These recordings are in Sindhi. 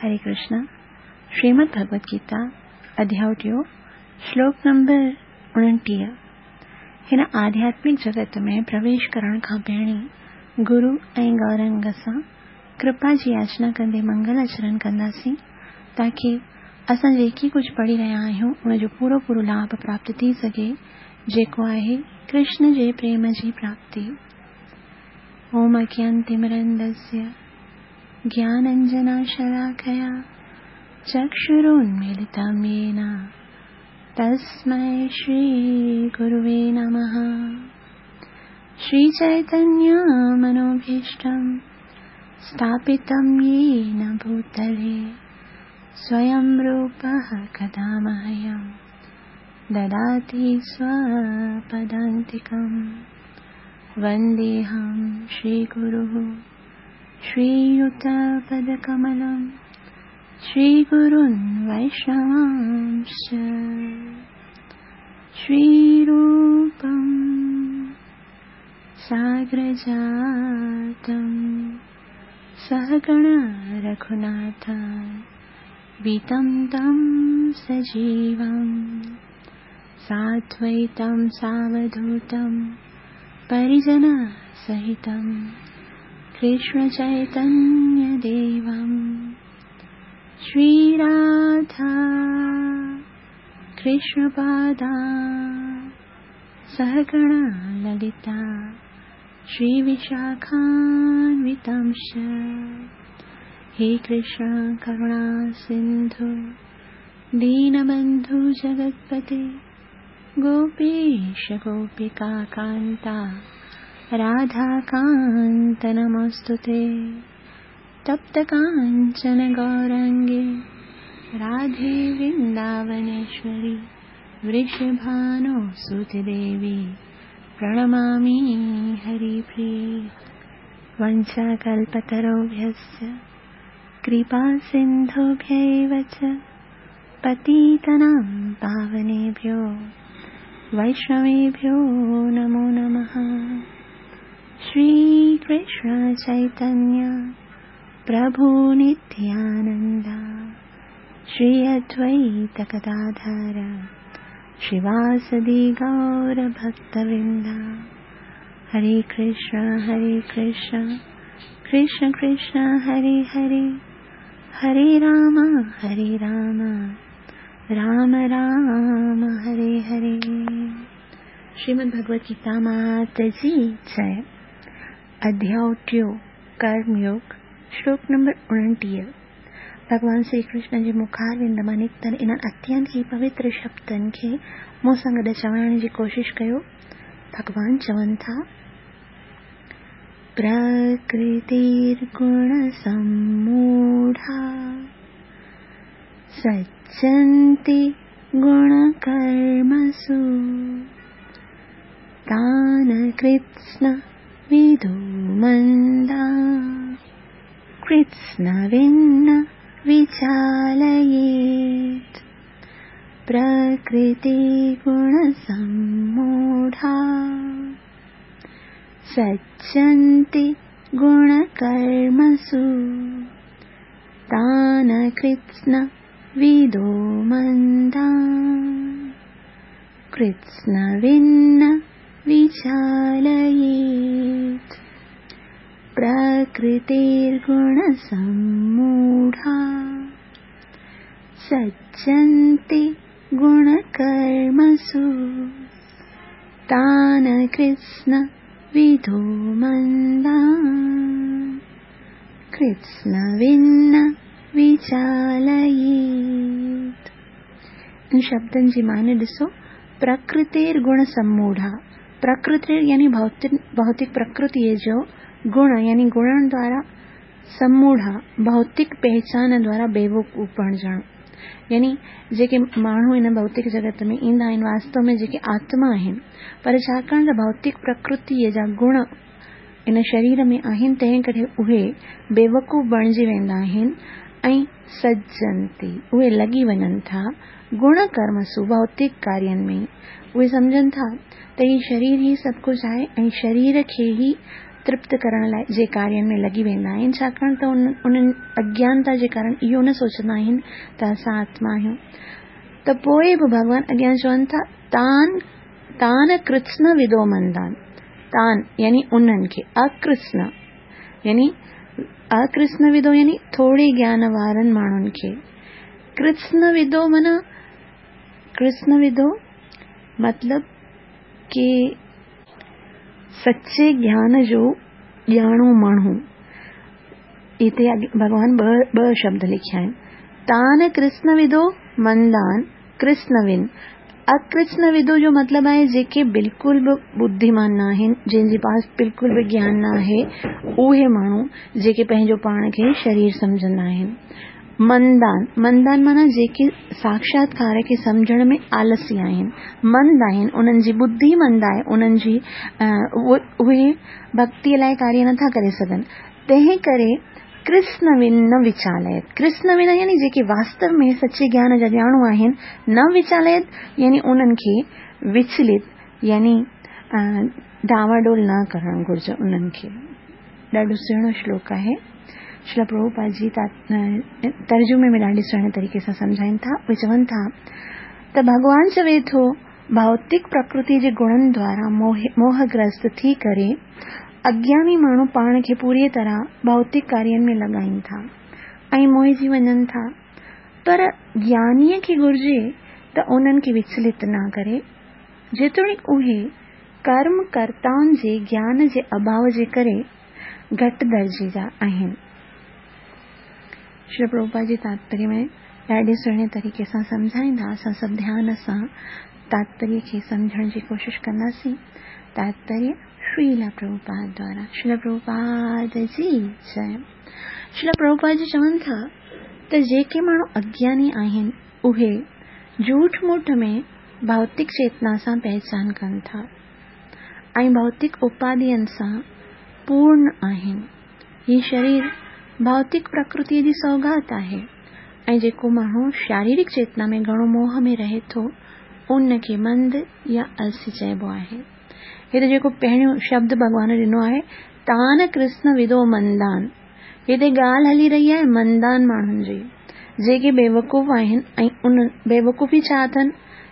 هري ڪرشنا، شريمد ڀڳوت گيتا، اڌياء ٽيون، شلوڪ نمبر 29. هن آڌياتمڪ جڳت ۾ پرويش ڪرڻ کان پهرين گرو ۽ گورنگ سان ڪرپا جي ياچنا ڪندي منگل آچرڻ ڪنداسين تاڪي اسان جيڪي ڪجهه پڙهي رهيا آهيون ان جو پورو پورو لاڀ پراپت ٿي سگهي جيڪو آهي ڪرشن جي پريم جي پراپتي. اوم اگيانتمرندسيه ज्ञानञ्जनशलाकया चक्षुरुन्मीलितं येन तस्मै श्रीगुरुवे नमः। श्रीचैतन्यमनोभीष्टं स्थापितं येन भूतले स्वयं रूपः कदा मह्यं ददाति स्वपदान्तिकं। वन्देऽहं श्रीगुरुः श्रीयुतपदकमलं श्रीगुरुन् वैष्णवांश्च। श्रीरूपं साग्रजातं सहगण रघुनाथान्वितं तं सजीवं साद्वैतं सावधूतं परिजनसहितं कृष्णचैतन्यदेवं। श्रीराधा कृष्णपादा सहगण ललिता श्रीविशाखान्वितांश्च। हे कृष्ण करुणा सिन्धु दीनबन्धु जगत्पते गोपेश गोपिकान्ता राधाकान्त नमोऽस्तु ते। तप्तकाञ्चन गौराङ्गे राधे वृन्दावनेश्वरि वृषभानुसुते देवी प्रणमामि हरिप्रिये। वञ्चाकल्पतरुभ्यश्च कृपासिन्धुभ्यैव च पतितानां पावनेभ्यो वैष्णवेभ्यो नमो नमः। श्रीकृष्ण चैतन्य प्रभु नित्यानन्द श्री अद्वैत गदाधर श्रीवासदि गौरभक्तवृन्द। हरे कृष्ण हरे कृष्ण कृष्ण कृष्ण हरे हरे, हरे राम हरे राम राम राम हरे हरे। श्रीमद् भगवत गीता मात जी जय। अध्याय टियों, कर्मयोग, श्लोक नंबर 29। भॻवान श्री कृष्ण जे मुखारविंद मां निकितल इन्हनि अत्यंत ई पवित्र शब्दनि खे मूं सां गॾु चवण जी कोशिश कयो। भॻवान चवनि था, प्रकृतिर्गुणसम्मूढा सज्जन्ति गुणकर्मसु तान् कृत्स्नविदो मन्दा कृत्स्नविन्न विचालयेत्। प्रकृतिगुणसम्मूढा सज्जन्ति गुणकर्मसु तान् कृत्स्नविदो मन्दा कृत्स्नविन्न विचालयेत्। प्रकृतिर्गुणसम्मूढा सज्जन्ति गुणकर्मसु तान् कृत्स्नविदो मन्दा कृत्स्नविन्न विचालयेत्। इन शब्दनि जी माने ॾिसो, प्रकृतिर सम्मूढ़ा। प्रकृतिर यानी भौतिक प्रकृतिअ जो गुण यानी गुणनि द्वारा सम्मूढ़ा, भौतिक पहचान द्वारा बेवकूफ़ बणिजणु। यानी जेके माण्हू हिन भौतिक जगत में ईंदा आहिनि, वास्तव में जेके आत्मा आहिनि, पर छाकाणि त भौतिक प्रकृतिअ जा गुण इन शरीर में आहिनि, तंहिं करे उहे बेवकूफ़ बणिजी वेंदा आहिनि ऐं सज्जंती उहे लॻी वञनि था गुण कर्मसु, भौतिक कार्यनि में। उहे सम्झनि था त हीउ शरीर ई सभु कुझु आहे ऐं शरीर खे ई ترپت ڪرڻ لاء جي ڪارين ۾ لڳي ويندا آهن، ڇاڪاڻ ته انهن اگيانتا جي ڪارڻ اهو نه سوچندا آهن ته اسان آتما آهيون. ته پوء به ڀڳوان اڳيان چون ٿا، تان تان ڪرتسن ودو مندان، تان يعني انهن کي، اڪرتسن يعني اڪرتسن ودو يعني ٿوري گيان وارن ماڻهن کي، ڪرتسن ودو معنيٰ ڪرتسن ودو مطلب ڪي سچي گيان جو ڄاڻو ماڻهو. هتي ڀڳوان ٻه شبد لکيا آهن، تان ڪرتسن ودو مندان ڪرتسن ون. اڪرتسن ودو جو مطلب آهي جيڪي بلڪل به ٻڌيمان نه آهن، جن جي پاس بلڪل به گيان نه آهي، اهي ماڻهو جيڪي پنهنجو پاڻ کي شرير سمجهندا آهن. مندان، مندان معنيٰ جيڪي ساکشاتڪار کي سمجهڻ ۾ آلسي آهن، مند آهن، انهن جي ٻڌي مند آهي، انهن جي اهي ڀڳتيء لاء ڪاريه نٿا ڪري سگهن، تنهن ڪري ڪرسن ون نه وچاليت، ڪرسن ون يعني جيڪي واستو ۾ سچي گيان جا ڄاڻو آهن، نه وچاليت يعني انهن کي وچلت يعني ڊانواڊول نه ڪرڻ گهرجي انهن کي. ڏاڍو سهڻو شلوڪ آهي. شريلا پرڀوپاد جي ترجمي ۾ ڏاڍي سهڻي طريقي سان سمجهائين ٿا. اهي چون ٿا ته ڀڳوان چوي ٿو ڀوتڪ پرڪرتي جي گڻن دوارا موهگرست ٿي ڪري اگياني ماڻهو پاڻ کي پوريء طرح ڀوتڪ ڪارين ۾ لڳائين ٿا ۽ موهجي وڃن ٿا پر گيانيء کي گهرجي ته انهن کي وچلت نه ڪري جيتوڻيڪ اهي ڪرم ڪرتائن جي گيان جي اڀاو جي ڪري گهٽ درجي جا آهن. شريلا پرڀوپاد جي تاتپريه ۾ ڏاڍي سهڻي طريقي سان سمجهائيندا. اسان سڀ ڌيان سان تاتپريه کي سمجهڻ جي ڪوشش ڪنداسين. تاتپريه شريلا پرڀوپاد دوارا. شريلا پرڀوپاد جي جئه. شريلا پرڀوپاد جي چون ٿا ته جيڪي ماڻهو اگياني آهن اهي جهوٺ موٺ ۾ ڀوتڪ چيتنا سان پهچان ڪن ٿا ۽ ڀوتڪ اپادين سان پورن آهن. هي شرير ڀوتڪ پرڪرتيء جي سوغات آهي ۽ جيڪو ماڻهو شاريرڪ چيتنا ۾ گهڻو موهه ۾ رهي ٿو، ان کي مند يا السي چئبو آهي. هتي جيڪو پهريون شبد ڀڳوان ڏنو آهي، تان ڪرسن ودو مندان. هتي ڳالهه هلي رهي آهي مندان ماڻهن جي، جيڪي بيوقوف آهن ۽ ان بيوقوفي ڇا اٿن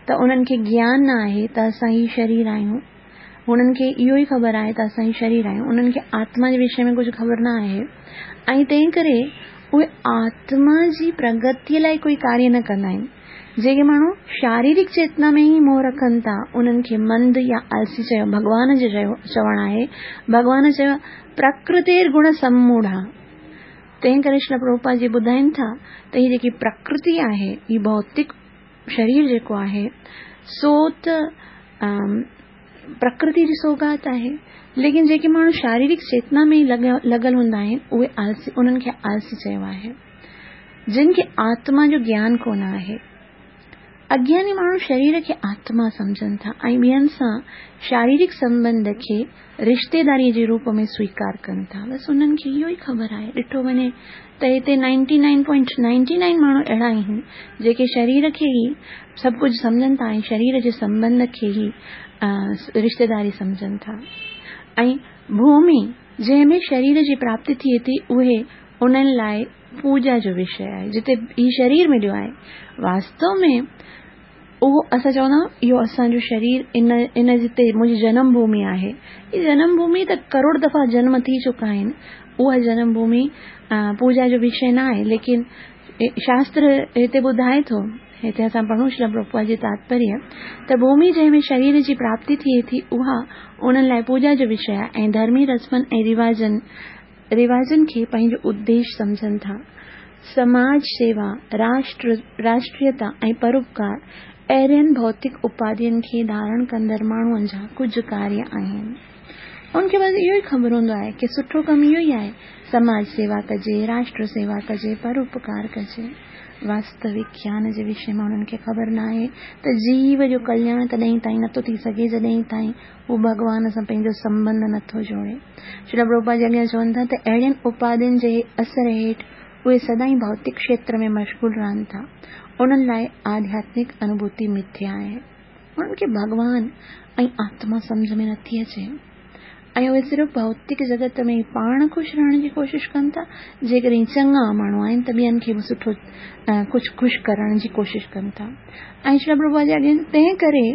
ته انهن کي گيان نه آهي ته اسان هي شرير آهيون. هنن کي اهو ئي خبر آهي ته اسان هي شرير آهيون. انهن کي آتما جي وشي ۾ ڪجهه خبر نه آهي ۽ تنهن ڪري اهي آتما جي پرگتيء لاء ڪوئي ڪاريه نه ڪندا آهن. جيڪي ماڻهو شاريرڪ چيتنا ۾ ئي موهه رکن ٿا، انهن کي مند يا آلسي چيو ڀڳوان جو چوڻ آهي. ڀڳوان چيو، پرڪرتير گڻ سموڙها. تنهن ڪري شريلا پرڀوپاد جي ٻڌائين ٿا ته هي جيڪي پرڪرتي آهي، هي ڀوتڪ شرير جيڪو آهي، سو ته پرڪرتي جي سوغات آهي، ليڪن جيڪي ماڻهو شاريرڪ چيتنا ۾ ئي لڳل هوندا آهن، اهي آلسي، انهن کي آلسي چيو آهي. جن کي آتما جو گيان ڪونه آهي. اگياني ماڻهو شرير کي آتما سمجهن ٿا ۽ ٻين سان شاريرڪ سنٻنڌ کي رشتيداريء جي روپ ۾ سويڪار ڪن ٿا. بس انهن کي اهو ئي خبر آهي. ڏٺو وڃي ته هتي ninety nine point ninety nine ماڻهو اهڙا آهن جيڪي شرير کي ئي سڀ ڪجهه سمجهن ٿا ۽ شرير جي سنٻنڌ کي ئي رشتيداري سمجهن ٿا ۽ ڀومي جنهن ۾ شرير جي پراپتي ٿئي ٿي اهي انهن لاء پوڄا جو وشي آهي جتي هي شرير مليو آهي واستو ۾ اهو اسان چوندا آهيون اهو اسان جو شرير ان ان جتي منهنجي جنم ڀومي آهي هي جنم ڀومي ته ڪروڙ دفعا جنم ٿي چڪا آهن اها جنم ڀومي پوڄا جو وشي نه آهي ليڪن شاستر هتي ٻڌائي ٿو هتي اسان پڙهون شريلا پرڀوپاد جي تاتپريه ته ڀومي جنهن ۾ شرير جي پراپتي ٿئي ٿي اها انهن لاء پوڄا جو وشي آهي ۽ ڌرمي رسمن ۽ رواجن رواجن کي پنهنجو اديش سمجهن ٿا. سماج سيوا، راشٽر، راشٽريتا ۽ پروپڪار اهڙين ڀوتڪ اپاڌين کي ڌارڻ ڪندڙ ماڻهن جا ڪجهه ڪاريه آهن. ان کي بس اهو ئي خبر هوندو آهي ڪي سٺو ڪم اهو ئي آهي سماج سيوا ڪجي، راشٽر سيوا ڪجي، پروپڪار ڪجي. واستوڪ گيان جي وشي ۾ انهن کي خبر ناهي ته جيو جو ڪلياڻ تڏهن تائين نٿو ٿي سگهي جڏهن تائين هو ڀڳوان سان پنهنجو سنٻنڌ نٿو جوڙي. شريلا پرڀوپاد جي اڳيان چون ٿا ته اهڙين اپاڌين جي اثر هيٺ اهي سدائين ڀوتڪ کيتر ۾ مشغول رهن ٿا. انهن لاء آڌياتمڪ انوڀوتي مٿيا آهي. انهن کي ڀڳوان ۽ آتما سمجهه ۾ نٿي اچي. ۽ اهي صرف ڀوتڪ جڳت ۾ ئي پاڻ خوش رهڻ جي ڪوشش ڪن ٿا. جيڪڏهن چڱا ماڻهو آهن ته ٻين کي به سٺو ڪجهه خوش ڪرڻ جي ڪوشش ڪن ٿا ۽ شريل پرڀوپاد جي اڳين تنهن ڪري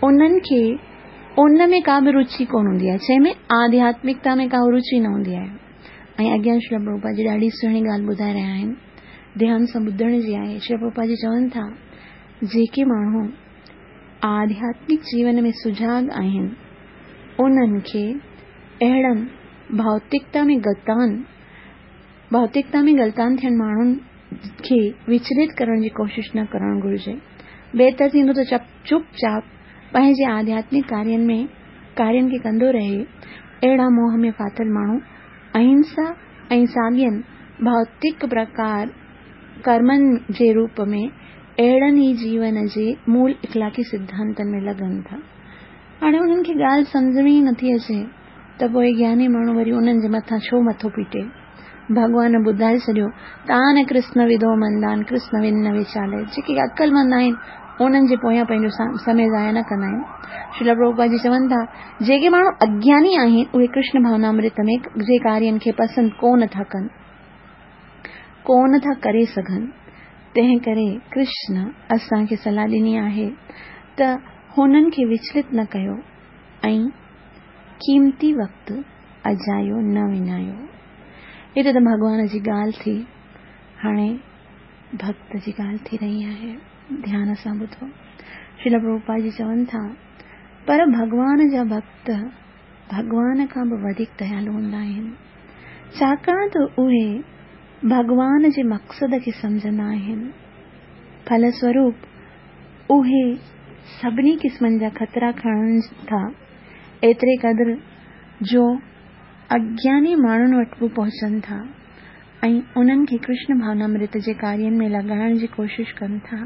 انهن کي ان ۾ ڪا به رچي ڪونه هوندي آهي جنهن ۾ آڌياتمڪتا ۾ ڪا رچي نه هوندي آهي ۽ اڳيان شريل پرڀوپاد جي ڏاڍي سهڻي ڳالهه ٻڌائي رهيا آهن ڌيان سان ٻڌڻ جي آهي. شريل پرڀوپاد جي چون ٿا جيڪي ماڻهو آڌياتمڪ جيون ۾ سجاڳ آهن، انهن کي اهڙن ڀوتڪتا ۾ غلطان ڀوتڪتا ۾ غلطان ٿيل ماڻهن کي وچلت ڪرڻ جي ڪوشش نه ڪرڻ گهرجي. بهتر ٿيندو ته چپ چاپ پنهنجي آڌياتمڪ ڪارين ۾ ڪارين کي ڪندو رهي. اهڙا موهه ۾ ڦاٿل ماڻهو اهنسا ۽ ساڳين ڀوتڪ پرڪار ڪرمن جي روپ ۾ اهڙن ئي جيون جي مول اخلاقي سڌانتن ۾ لڳن ٿا. هاڻي انهن کي ڳالهه سمجهه ۾ ئي نٿي اچي ته پوء گياني ماڻهو وري انهن جي مٿان ڇو مٿو پيٽي؟ ڀڳوان ٻڌائي ڇڏيو، تان ڪرسن ودو مندان ڪرسن ون نه ويچالي جيڪي عقلمند آهن انهن جي پويان پنهنجو سمي ضايع نه ڪندا آهن. شريل پرڀوپاد جي چون ٿا، جيڪي ماڻهو اگياني آهن اهي ڪرشن ڀاونامرت ۾ جي ڪارين کي پسند ڪو نه ٿا ڪن. ڪونه ٿا ڪري سگهن، تنهن ڪري ڪرشن اسان کي صلاح ڏني آهي ته هنن کي وچلت نه ڪيو ۽ قيمتي وقت اجايو نه وڃايو. هتي ته ڀڳوان جي ڳالهه ٿي، هاڻي ڀڳت جي ڳالهه ٿي رهي آهي. ڌيان سان ٻڌو. شريل پرڀوپاد جي چون ٿا، پر ڀڳوان جا ڀڳت ڀڳوان کان به وڌيڪ ديالو هوندا آهن، ڇاڪاڻ ته اهي ڀڳوان جي مقصد کي سمجهندا آهن. ڦلسوروپ اهي سڀني قسمن جا خطرا کڻن ٿا، ايتري قدر جو اگياني ماڻهن وٽ به پهچن ٿا ۽ انهن کي ڪرشن ڀاونامرت جي ڪارين ۾ لڳائڻ جي ڪوشش ڪن ٿا،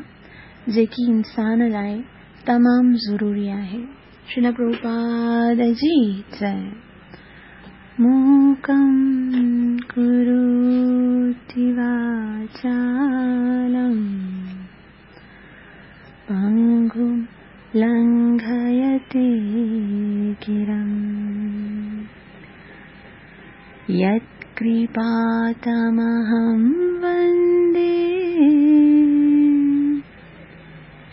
جيڪي انسان لاء تمام ضروري آهي. شريل پرڀوپاد جي جئي. موڪم ڪروتي واچالم پنگم لنگهيتي گرم يت ڪرپا تمهم وندي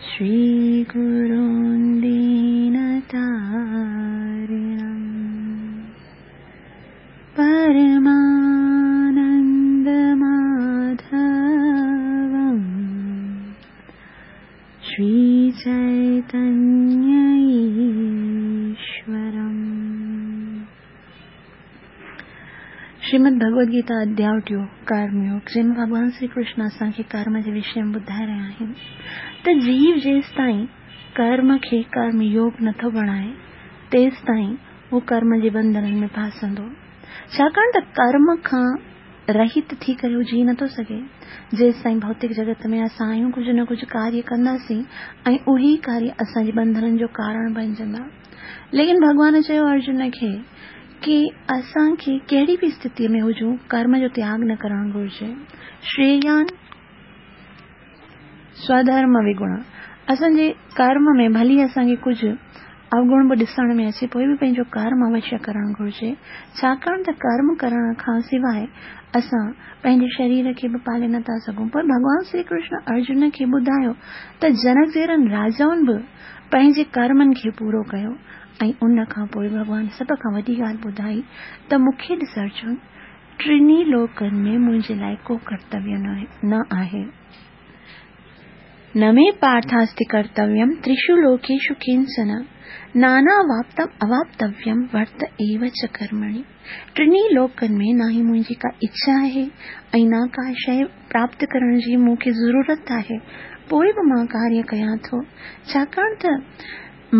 شري گرون دين تارڻم پرمانند ماڌوم شري چيتنيه ايشورم. شريمد ڀڳوت گيتا اڌياء ٽيون، ڪرم يوگ، جنهن ۾ ڀڳوان شري ڪرشن اسان کي ڪرم جي وشي ۾ ٻڌائي رهيا آهن ته جيو جيستائين ڪرم کي ڪرم يوگ نٿو بڻائي تيستائين هو ڪرم جي بنڌنن ۾ ڦاسندو ڇاڪاڻ ته ڪرم کان رهت ٿي ڪري هو جي نٿو سگهي. جيستائين ڀوتڪ جڳت ۾ اسان آهيون ڪجهه نه ڪجهه ڪاريه ڪنداسين ۽ اهي ئي ڪاريه اسان جي بنڌنن جو ڪارڻ بڻجندا. ليڪن ڀڳوان چيو ارجن کي ڪي اسان کي ڪهڙي به استٿيء ۾ هجون ڪرم جو تياڳ نه ڪرڻ گهرجي. شريان سوڌرم وگڻ اسان جي ڪرم ۾ ڀلي اسان کي ڪجهه اوگڻ به ڏسڻ ۾ اچي پوء به پنهنجو ڪرم اوشيه ڪرڻ گهرجي ڇاڪاڻ ته ڪرم ڪرڻ کان سواء اسان پنهنجي شرير کي به پالي نه ٿا سگهون پوء ڀڳوان شري ڪرشن ارجن کي ٻڌايو ته جنڪ جهڙن راجائن به پنهنجي ڪرمن کي پورو ڪيو ۽ ان کان پوء ڀڳوان سڀ کان وڏي ڳالهه ٻڌائي ته مون کي ڏس ارجن ٽنهي لوڪن ۾ منهنجي لاء ڪو ڪرتويه نه آهي. نه مي پارٿاستي ڪرتويم تريشو لوڪيشو ڪنچن ناناواپتم اواپتويم ورت ايو چ ڪرمڻي ٽنهي لوڪن ۾ نه ئي منهنجي ڪا اڇا آهي ۽ نه ڪا شيء پراپت ڪرڻ جي مون کي ضرورت آهي پوء به مان ڪاريه ڪيان ٿو ڇاڪاڻ ته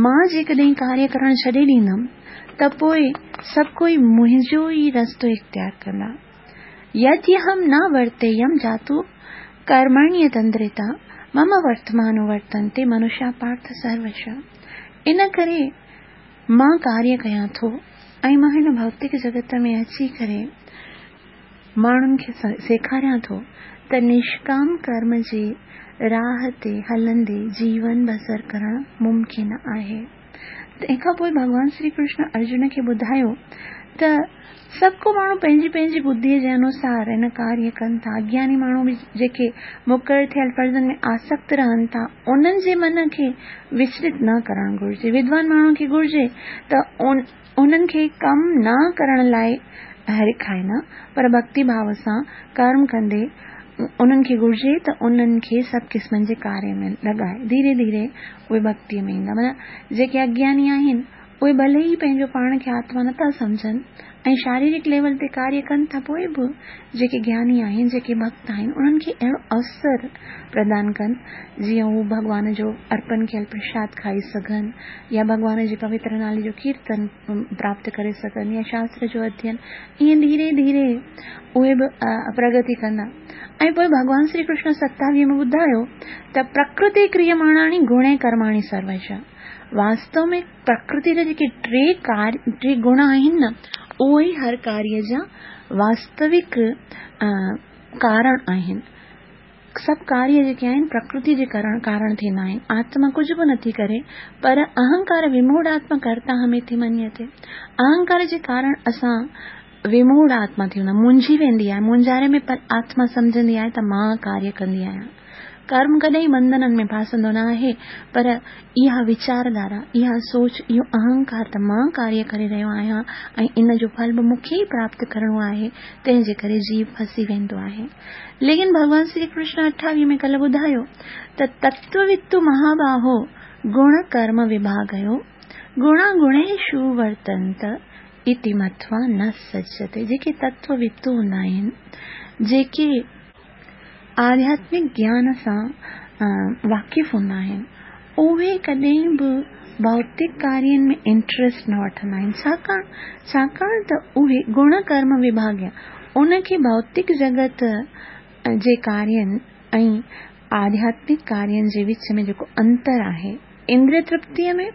مان جيڪڏهن ڪاريه ڪرڻ ڇڏي ڏيندم ته پوء سڀ ڪوئي منهنجو ئي رستو اختيار ڪندا. يديهم نه ورتيم جاتو ڪرمڻيتندرتا مم ورتمانو ورتنتي منشا پارٿ سروش ان ڪري مان ڪاريه ڪيان ٿو ۽ مان هن ڀوتڪ جڳت ۾ اچي ڪري ماڻهن کي سيکاريان ٿو ته نشڪام ڪرم جي راهه تي هلندي جيون بسر ڪرڻ ممڪن آهي. تنهن کان پوء ڀڳوان شري ڪرشن ارجن کي ٻڌايو ته سڀ ڪو ماڻهو پنهنجي پنهنجي ٻڌيء جي انوسار هن ڪاريه ڪن ٿا. اگياني ماڻهو به جيڪي مقرر ٿيل فرضن ۾ آسڪت رهن ٿا، انهن جي من کي وچلت نه ڪرڻ گهرجي. ودوان ماڻهن کي گهرجي ته انهن کي ڪم نه ڪرڻ لاء هرکائي نه، پر ڀڳتي ڀاو سان ڪرم ڪندي انهن کي گهرجي ته انهن کي سڀ قسمن جي ڪاريه ۾ لڳائي. ڌيري ڌيري اهي ڀڳتيء ۾ ايندا. معنيٰ جيڪي اگياني آهن، اهي ڀلي ئي پنهنجو پاڻ کي آتما نٿا سمجهن ۽ شاريرڪ ليول تي ڪاريه ڪن ٿا پوء به جيڪي گياني آهن، جيڪي ڀڳت آهن انهن کي اهڙو اوسر پردان ڪن جيئن هو ڀڳوان جو ارپن ڪيل پرشاد کائي سگهن يا ڀڳوان جي پوتر نالي جو ڪيرتن پراپت ڪري سگهن يا شاستر جو اڌين ائين ڌيري ڌيري اهي به پرگتي ڪندا ۽ پوء ڀڳوان شري ڪرشن ستاويهه ۾ ٻڌايو ته پرڪرتي ڪريماڻاڻي گڻي ڪرماڻي سروش واستو ۾ پرڪرتي جا جيڪي ٽي ڪار ٽي گڻ آهن نه اهي ئي هر ڪاريه جا واستوڪ ڪارڻ آهن. سڀ ڪاريه جيڪي آهن پرڪرتي جي ڪرڻ ڪارڻ ٿيندا آهن. آتما ڪجهه به نٿي ڪري پر اهنڪار وموڙ آتما ڪرتا هميتي منيتي. اهنڪار جي ڪارڻ اسان وموڙ آتما ٿي ويندا مونجهي ويندي آهي مونجهاري ۾ پر آتما سمجهندي آهي ته مان ڪاريه ڪندي آهيان. ڪرم ڪڏهن بنڌنن ۾ ڦاسندو نه آهي پر اها ويچار ڌارا، اها سوچ، اهو اهنڪار ته مان ڪاريه ڪري رهيو آهيان ۽ ان جو ڦل به مون کي ئي پراپت ڪرڻو آهي، تنهن جي ڪري جيو ڦسي ويندو آهي. ليڪن ڀڳوان شري ڪرشن اٺاويهه ۾ ڪلهه ٻڌايو ته تتووتو مهاباهو گڻ ڪرم وڀاڳيو گڻا گڻيشو ورتنت اتي متوا نه سجتي جيڪي تتووتو هوندا آهن، جيڪي آڌياتمڪ گيان سان واقف هوندا آهن، اهي ڪڏهن به ڀوتڪ ڪارين ۾ انٽريسٽ نه وٺندا آهن، ڇاڪاڻ ڇاڪاڻ ته اهي گڻ ڪرم وڀاڳيا ان کي ڀوتڪ جڳت جي ڪارين ۽ آڌياتمڪ ڪارين جي وچ ۾ جيڪو انتر آهي، اندريه ترپتيء ۾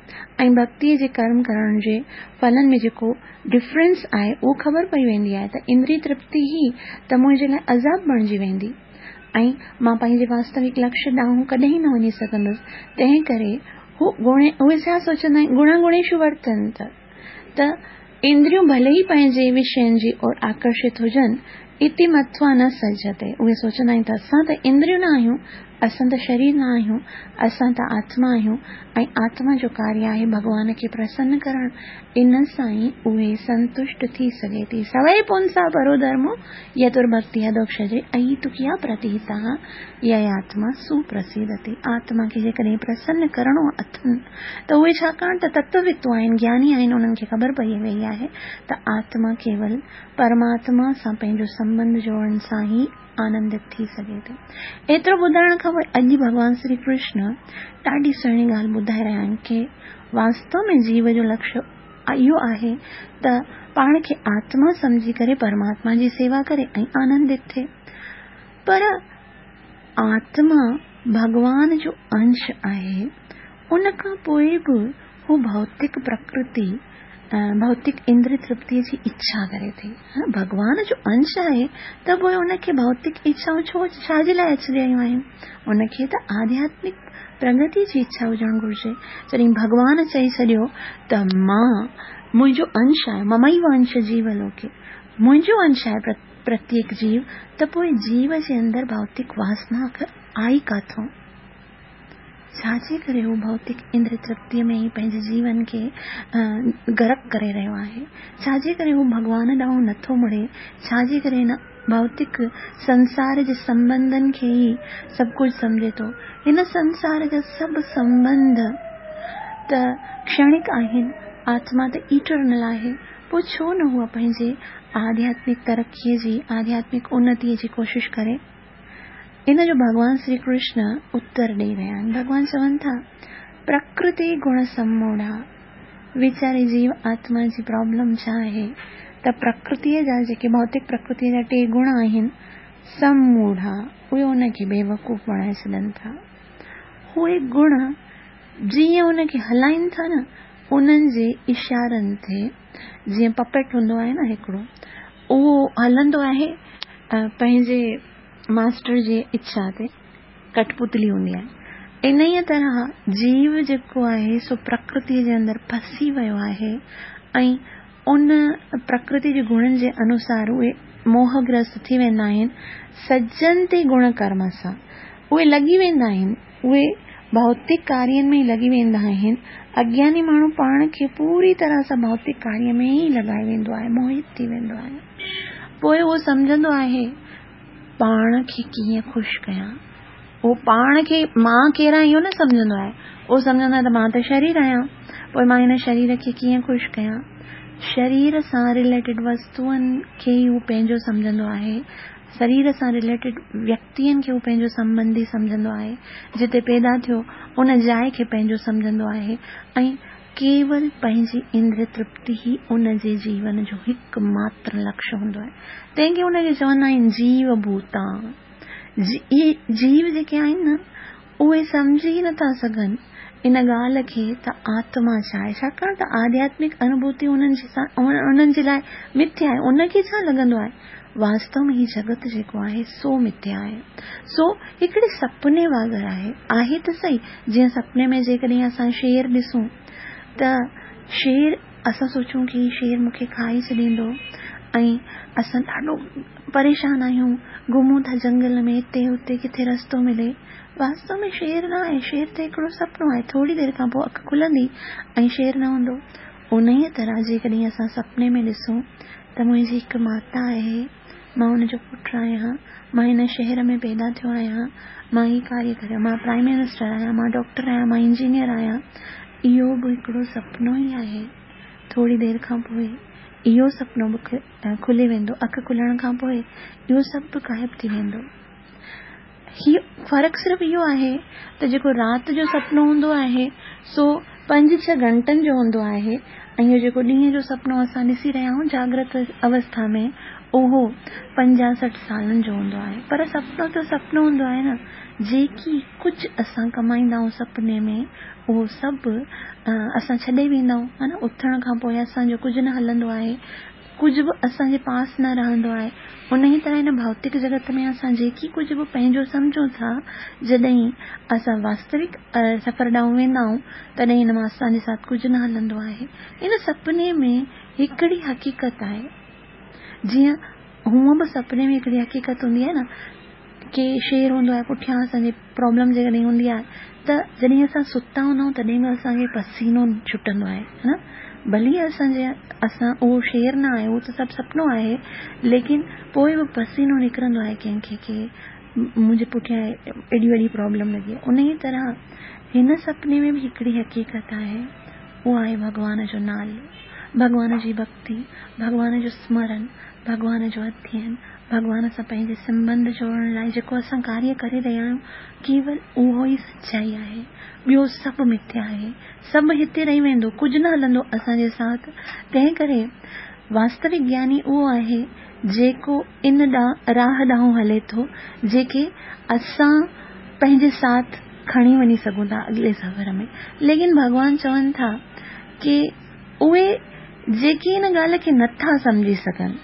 ۽ ڀڳتيء جي ڪرم ڪرڻ جي ڦلن ۾ جيڪو ڊفرنس آهي اهو خبر پئي ويندي آهي ته اندريه ترپتي ئي ته منهنجي لاء عذاب بڻجي ويندي ۽ مان پنهنجي واستوڪ لڪشيه ڏانهن ڪڏهن نه وڃي سگهندس تنهن ڪري هو گڻي اهي ڇا سوچندا آهن گڻا گڻيشو ورتنت ته اندريون ڀلي ئي پنهنجي وشين جي اور آڪرشت هجن اتي متوا نه سجتي اهي سوچندا آهن ته اسان ته اندريون نه آهيون اسان ته شرير نه آهيون، اسان ته آتما آهيون ۽ آتما جو ڪاريه آهي ڀڳوان کي پرسن ڪرڻ، ان سان ئي اهي سنتشٽ ٿي سگهي ٿي. سوئي پونسا پرو ڌرمو يترڀڪتي اڌوڪشجي اهيتڪيا پرتيتا يياتما سپرسيدتي. آتما کي جيڪڏهن پرسن ڪرڻو اٿن ته اهي ڇاڪاڻ ته تتووتو آهن، گياني آهن، انهن کي خبر پئي ويئي آهي ته آتما ڪيول پرماتما سان پنهنجو سنٻنڌ جوڙڻ سان ئي آنندت ٿي سگهي ٿي. ايترو ٻڌائڻ کان پوء اڄ ڀڳوان شري ڪرشن ڏاڍي سهڻي ڳالهه ٻڌائي رهيا آهن ڪي واستو ۾ جيو جو لڪشيه اهو آهي ته پاڻ کي آتما سمجهي ڪري پرماتما جي سيوا ڪري ۽ آنندت ٿئي. پر آتما ڀڳوان جو انش آهي ان کان پوء به هو ڀوتڪ پرڪرتي ڀوتڪ اندري ترپتيء جي اڇا ڪري ٿي. ڀڳوان جو انش آهي ته پوء ان کي ڀوتڪ اڇائون ڇو ڇا جي لاء اچي رهيون آهن؟ ان کي ته آڌياتمڪ پرگتي جي اڇا هجڻ گهرجي. جڏهن ڀڳوان چئي ڇڏيو ته مان منهنجو انش آهي، مميو انش جيو لوڪي، منهنجو انش آهي پرتيڪ جيو، ته پوء جيو جي اندر ڀوتڪ واسنا آئي ڪاٿون؟ ڇا جي ڪري هو ڀوتڪ اندري ترپتيء ۾ ئي پنهنجي جيون کي غرق ڪري رهيو آهي؟ ڇا جي ڪري هو ڀڳوان ڏانهن نٿو مڙي؟ ڇا جي ڪري هن ڀوتڪ سنسار جي سنٻنڌن کي ئي سڀ ڪجهه سمجهي ٿو؟ هن سنسار جا سڀ سنٻنڌ ته ڪشڻڪ آهن، آتما ته ايٽرنل آهي، پوء ڇو نه هو پنهنجي آڌياتمڪ ترقيء جي، آڌياتمڪ انتيء جي ڪوشش ڪري؟ ان جو ڀڳوان شري ڪرشن اتر ڏئي رهيا آهن. ڀڳوان چون ٿا، پرڪرتي گڻ سموڙها. ويچاري جيو آتما جي پرابلم ڇا آهي ته پرڪرتيء جا جيڪي ڀوتڪ پرڪرتيء جا ٽي گڻ آهن، سموڙها، اهي ان کي بيوقوف بڻائي ڇڏن ٿا. اهي گڻ جيئن ان کي هلائين ٿا نه، انهن جي اشارن تي جيئن پپيٽ هوندو آهي نه هڪڙو، اهو هلندو آهي پنهنجي ماسٽر جي اڇا تي ڪٺ پتلي هوندي آهي انهيء طرح جيو جيڪو آهي سو پرڪرتيء جي اندر ڦسي ويو آهي ۽ ان پرڪرتي جي گڻن جي انوسار اهي موهگرست ٿي ويندا آهن، سجن تي گڻ ڪرم سان اهي لڳي ويندا آهن، اهي ڀوتڪ ڪارين ۾ ئي لڳي ويندا آهن. اگياني ماڻهو پاڻ کي پوري طرح سان ڀوتڪ ڪاريه ۾ ئي لڳائي ويندو آهي، موهت ٿي ويندو آهي. پوء اهو سمجهندو آهي پاڻ کي ڪيئن خوش ڪيان. هو پاڻ کي مان ڪير آهيان اهو نه سمجهندو آهي. اهو سمجهندو آهي ته مان ته شرير آهيان، پوء مان هن شرير کي ڪيئن خوش ڪيان. شرير سان رليٽيڊ وستوئن کي ئي هو پنهنجو سمجهندو آهي. شرير سان رليٽيڊ ويڪتين کي هو پنهنجو سنٻنڌي سمجهندو آهي. جتي پيدا ٿيو، ان جاء کي پنهنجو سمجهندو آهي ۽ ڪيول پنهنجي اندريه ترپتي ئي ان جي جيون جو هڪ ماتر لڪشيه هوندو آهي. تنهن کي ان کي چوندا آهن جيو ڀوتا. اهي جيو جيڪي آهن نه، اهي سمجهي ئي نٿا سگهن ان ڳالهه کي ته آتما ڇا آهي، ڇاڪاڻ ته آڌياتمڪ انوڀوتي انهن جي لاء مٿيا آهي. ان کي ڇا لڳندو آهي؟ واستو ۾ هي جڳت جيڪو آهي سو مٿيا آهي. سو هڪڙي سپني وانگر آهي. آهي ته سهي، جيئن سپني ۾ جيڪڏهن اسان شير ڏسون ته شير اسان سوچون ڪي هي شير مون کي کائي ڇڏيندو ۽ اسان ڏاڍو پريشان آهيون، گهمون ٿا جنگل ۾ هتي هتي ڪٿي رستو ملي. واستو ۾ شير نه آهي، شير ته هڪڙو سپنو آهي، ٿوري دير کان پوء اک کلندي ۽ شير نه هوندو. انهيء طرح جيڪڏهن اسان سپني ۾ ڏسون ته منهنجي هڪ ماتا آهي، مان ان جو پٽ آهيان، مان هن شهر ۾ پيدا ٿيو آهيان، مان هي ڪاريه ڪريان، مان پرائيم منسٽر آهيان، مان ڊاڪٽر آهيان، مان انجنيئر آهيان، اهو به هڪڙو سپنو ئي آهي. ٿوري دير کان پوء اهو سپنو به کلي ويندو، اک کلڻ کان پوء اهو سڀ به غائب ٿي ويندو. هي فرق صرف اهو آهي ته جيڪو رات جو سپنو هوندو آهي سو پنج ڇهه گهنٽن جو هوندو آهي ۽ اهو جيڪو ڏينهن جو سپنو اسان ڏسي رهيا آهيون جاگرت اوسٿا ۾ اهو پنجاهه سٺ سالن جو هوندو آهي پر سپنو ته سپنو هوندو آهي نه جيڪي ڪجهه اسان ڪمائيندا آهيون سپني ۾ اهو سڀ اسان ڇڏي ويندا آهيون ها نه اٿڻ کان پوء اسان جو ڪجهه نه هلندو آهي ڪجهه به اسان جي پاس نه رهندو آهي. انهيء طرح هن ڀوتڪ جڳت ۾ اسان جيڪي ڪجهه به پنهنجو سمجهون ٿا، جڏهن اسان واستوڪ سفر ڏانهن ويندا آهيون، تڏهن هن مان اسان جي ساٿ ڪجهه نه هلندو آهي. ان سپني ۾ هڪڙي حقيقت آهي. جيئن هونء به سپني ۾ هڪڙي حقيقت هوندي آهي نه، ڪي شير هوندو آهي پٺيان اسان جي پرابلم جيڪڏهن هوندي آهي ته جڏهن اسان ستا هوندا آهيون تڏهن به اسان کي پسينو ڇٽندو آهي ها نه ڀلي اسان جي اسان اهو شير نه آهي اهو ته سڀ سپنو آهي ليڪن پوء به پسينو نڪرندو آهي ڪنهن کي ڪي منهنجي پٺيان ايڏي وڏي پرابلم لڳي آهي انهي طرح هن سپني ۾ به هڪڙي حقيقت آهي اهو آهي ڀڳوان جو نالو ڀڳوان جي ڀڳتي ڀڳوان جو سمرن ڀڳوان جو اڌين ڀڳوان سان پنهنجي سنٻنڌ جوڙڻ لاء جيڪو اسان ڪاريه ڪري رهيا آهيون، ڪيول اهو ئي سچائي آهي. ٻيو سڀ مٿيا آهي. سڀ هتي رهي ويندو، ڪجهه نه هلندو اسان جي ساٿ. تنهن ڪري واستوڪ گياني اهو آهي، جيڪو ان راهه ڏانهن هلي ٿو، جيڪي اسان پنهنجي ساٿ کڻي وڃي سگهون ٿا اڳلي سفر ۾. ليڪن ڀڳوان چون ٿا ڪي اهي جيڪي ان ڳالهه کي نٿا سمجهي سگهن،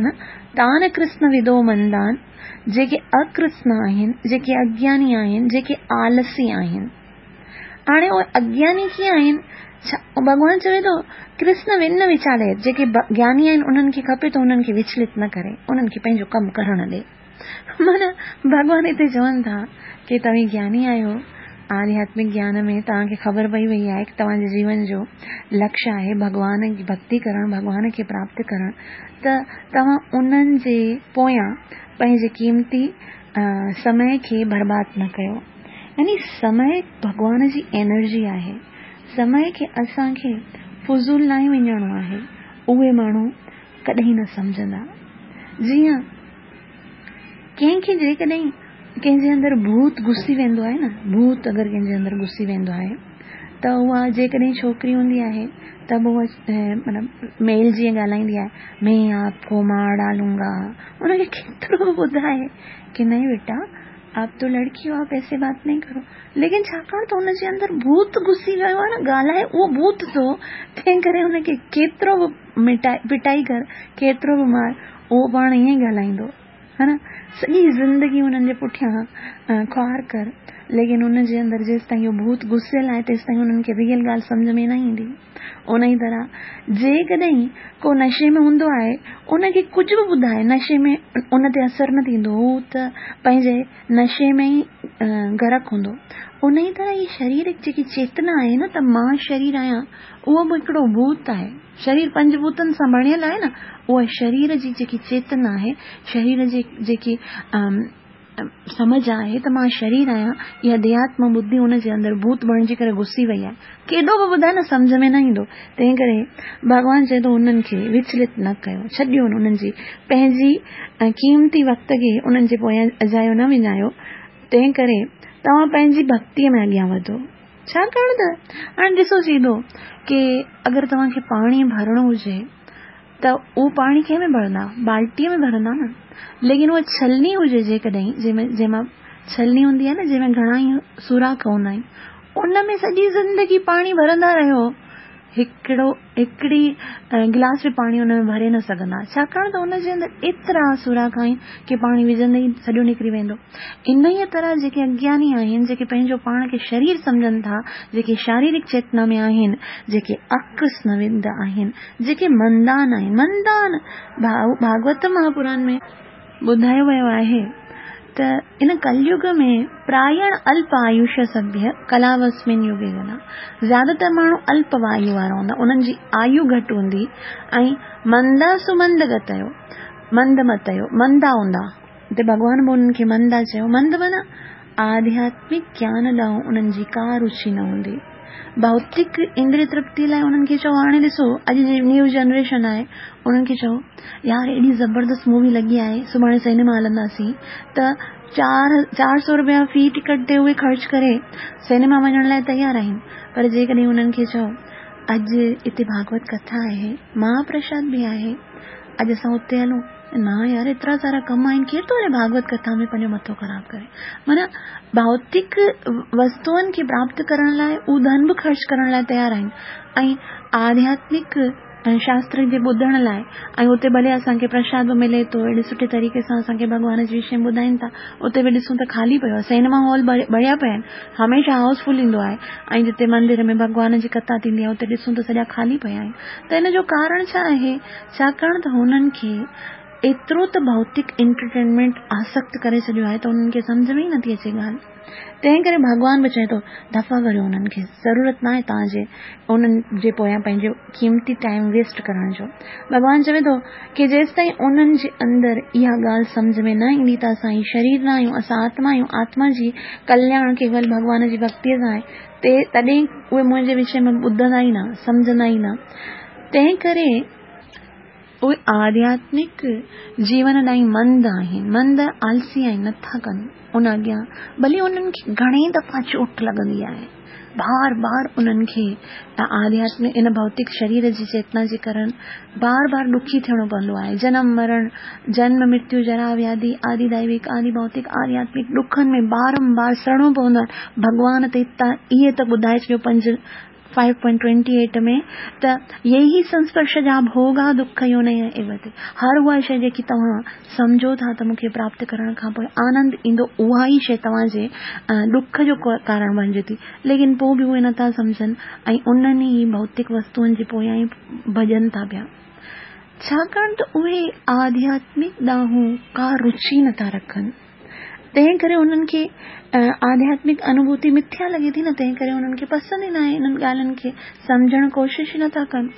نه تان ڪرسن ودو مندان، جيڪي اڪرسن آهن، جيڪي اگياني آهن، جيڪي آلسي آهن. هاڻي اهي اگياني ڪيئن آهن؟ ڇا ڀڳوان چوي ٿو ڪرسن ون نه ويچاليت، جيڪي گياني آهن انهن کي کپي ته انهن کي وچلت نه ڪري، انهن کي پنهنجو ڪم ڪرڻ ڏي. معنيٰ ڀڳوان هتي چون ٿا ڪي توهين گياني آهيو، آڌياتمڪ گيان ۾ توهان کي خبر پئي وئي آهي ڪي توهان جي جيون جو لڪشيه آهي ڀڳوان جي ڀڳتي ڪرڻ، ڀڳوان کي پراپت ڪرڻ ته توهان انهن جي پويان پنهنجي قيمتي سمي کي برباد نه ڪيو. يعني سمي ڀڳوان جي انرجي آهي. سمي کي اسان کي فضول ناهي وڃڻو آهي. اهي ماڻهو ڪڏهن نه سمجهندا. جيئن ڪنهن کي جيڪڏهن ڪنهن جي اندر ڀوت گهسي ويندو آهي نه، ڀوت اگر ڪنهن جي اندر گهسي ويندو آهي ته اها جيڪڏهن ڇوڪري هوندي آهي ته به اها مطلب ميل جيئن ڳالهائيندي آهي، مين آپ ڪو مار ڊالون گا. ان کي ڪيترو به ٻڌائي ڪي نهين بيٽا آپ تو لڙڪي هو آپ ايسي بات نهين ڪرو ليڪن ڇاڪاڻ ته ان جي اندر ڀوت گهسي ويو آهي نه ڳالهائي اهو ڀوت ٿو تنهن ڪري ان کي ڪيترو به مٽائي پٽائي ڪر ڪيترو به مار اهو پاڻ ائين ئي ڳالهائيندو ها نه. سڄي زندگي انهن جي پٺيان خوار ڪر، ليڪن ان جي اندر جيستائين اهو ڀوت گهسيل آهي تيستائين انهن کي ريئل ڳالهه سمجهه ۾ نه ايندي. انهي طرح جيڪڏهن ڪو نشي ۾ هوندو آهي ان کي ڪجهه به ٻڌائي نشي ۾ ان تي اثر نه ٿيندو هو ته پنهنجي نشي ۾ ئي غرق هوندو. انهي طرح هي شريرڪ جيڪي چيتنا آهي نه ته مان شرير آهيان اهو به هڪڙو ڀوت آهي. شرير پنج ڀوتن سان بڻيل آهي نه اها شرير جي جيڪي چيتنا آهي شرير جي جيڪي سمجهه آهي ته مان شرير آهيان اها ديهاتما ٻڌي ان جي اندر ڀوت بڻجي ڪري گهسي وئي آهي ڪيڏو به ٻڌائي نه سمجهه ۾ نه ايندو تنهن ڪري ڀڳوان چئي ٿو انهن کي وچلت نه ڪيو ڇڏيو انهن جي پنهنجي قيمتي وقت کي انهن جي پويان اجايو نه وڃايو تنهن ڪري توهان پنهنجي ڀڳتيء ۾ اڳيان وڌو ڇاڪاڻ ته هاڻي ڏسو سيڌو ڪي اگر توهان کي پاڻي ڀرڻو هجي ته اهو پاڻي ڪنهن ۾ ڀرندا؟ بالٽيء ۾ ڀرندا نه. ليڪن اها ڇلني هجي جيڪڏهن جنهن ۾ جنهن مان ڇلني هوندي آهي نه جنهن ۾ گهڻا ئي سوراخ هوندا آهن ان ۾ سڄي زندگي پاڻي ڀرندا رهيو هڪڙو هڪڙي گلاس به پاڻي ان ۾ ڀري نه سگهندا ڇاڪاڻ ته ان جي اندر ايترا سوراخ آهن ڪي پاڻي وجهندي ئي سڄو نڪري ويندو انهيء طرح جيڪي اگياني آهن، جيڪي پنهنجو پاڻ کي شرير سمجهن ٿا، جيڪي شاريرڪ چيتنا ۾ آهن، جيڪي اڪرشن ود آهن، جيڪي مندان آهن، مندان، ڀاڳوت مهاپران ۾ ٻڌايو ويو آهي ته ان ڪليگ ۾ پرائڻ الپ آيوش سڀيه ڪلاوسمن يگي جنا، زياده تر ماڻهو الپ آيو وارا هوندا، انهن جي آيو گهٽ هوندي ۽ مندا سمند گتيو، مند متيو، مندا هوندا. اتي ڀڳوان به انهن کي مندا چيو. مند معنيٰ آڌياتمڪ گيان ڏانهن انهن جي ڪا روچي نه هوندي. ڀوتڪ اندري ترپتي لاء انهن کي چئو هاڻي ڏسو اڄ جي نيو جنريشن آهي انهن کي چئو يار ايڏي زبردست مووي لڳي آهي سڀاڻي سئنيما هلنداسين ته 400 روپيا في ٽڪيٽ تي اهي خرچ ڪري سئنيما وڃڻ لاء تيار آهن پر جيڪڏهن انهن کي چئو اڄ اتي ڀاڳوت ڪٿا آهي مهاپرشاد به آهي اڄ اسان اتي هلون نه يار ايترا سارا ڪم آهن ڪير ٿو وڃي ڀاڳوت ڪٿا ۾ پنهنجو مٿو خراب ڪري معنيٰ ڀوتڪ وستوئن کي پراپت ڪرڻ لاء هو ڌن به خرچ ڪرڻ لاء تيار آهن ۽ آڌياتمڪ شاستر جي ٻڌڻ لاء ۽ اتي ڀلي اسان کي پرشاد به ملي ٿو اهڙي سٺي طريقي سان اسان کي ڀڳوان جي وشي ۾ ٻڌائين ٿا اتي به ڏسون ته خالي پيو آهي سئنيما هال ڀريا پيا آهن هميشه هائوس فل ايندو آهي ۽ جتي مندر ۾ ڀڳوان جي ڪٿا ٿيندي آهي اتي ڏسون ته سڄا خالي پيا آهن ته ان جو ڪارڻ ڇا آهي ڇاڪاڻ ته هنن کي ايترو ته ڀوتڪ انٽرٽينمينٽ آسڪت ڪري ڇڏيو آهي ته انهن کي سمجهه ۾ ئي نٿي اچي ڳالهه. تنهن ڪري ڀڳوان به چئي ٿو، دفع ڪريو انهن کي، ضرورت ناهي توهان جي انهن جي پويان پنهنجو قيمتي ٽائيم ويسٽ ڪرڻ جو. ڀڳوان چوي ٿو ڪي جيستائين انهن جي اندر اها ڳالهه سمجهه ۾ نه ايندي ته اسان هي شرير نه آهيون، اسان آتما آهيون، آتما جي ڪلياڻ ڪيول ڀڳوان جي ڀڳتيء سان آهي، تڏهن اهي منهنجي وشي ۾ ٻڌندا ئي نه، سمجهندا ئي نه. تنهن ڪري اهي آڌياتمڪ جيون ڏانهن مند آهن، مند آلسي آهن، نٿا ڪن ان اڳيان ڀلي انهن کي گهڻي دفعا چوٽ لڳندي آهي، بار بار انهن کي آڌياتمڪ ان ڀوتڪ شرير جي چيتنا جي ڪرڻ بار بار ڏکي ٿيڻو پوندو آهي، جنم مرڻ، جنم مرتيو، جرا وياڌي، آدي دائوڪ، آدي ڀوتڪ، آڌياتمڪ ڏکن ۾ بارم بار سڙڻو پوندو آهي، ڀڳوان ته اهي ته ٻڌائي ڇڏيو پنج فائيو پوائنٽ ٽوئنٽي ايٽ ۾ ته يهي سنسپرش جا ڀوڳا دک يونيه ايو تي هر اها شيء جيڪي توهان سمجهو ٿا ته مون کي پراپت ڪرڻ کان پوء آنند ايندو اها ئي شيء توهان جي ڏک جو ڪارڻ بڻجي ٿي ليڪن پوء به اهي نٿا سمجهن ۽ انهن ئي ڀوتڪ وستوئن جي پويان ئي ڀڄن ٿا پيا ڇاڪاڻ ته اهي آڌياتمڪ ڏانهن ڪا رچي نٿا رکن. تنهن ڪري انهن کي آڌياتمڪ انوڀوتي مٿيا لڳي ٿي نه تنهن ڪري انهن کي پسند ئي ناهي انهن ڳالهين کي سمجهڻ ڪوشش ئي نٿا ڪن.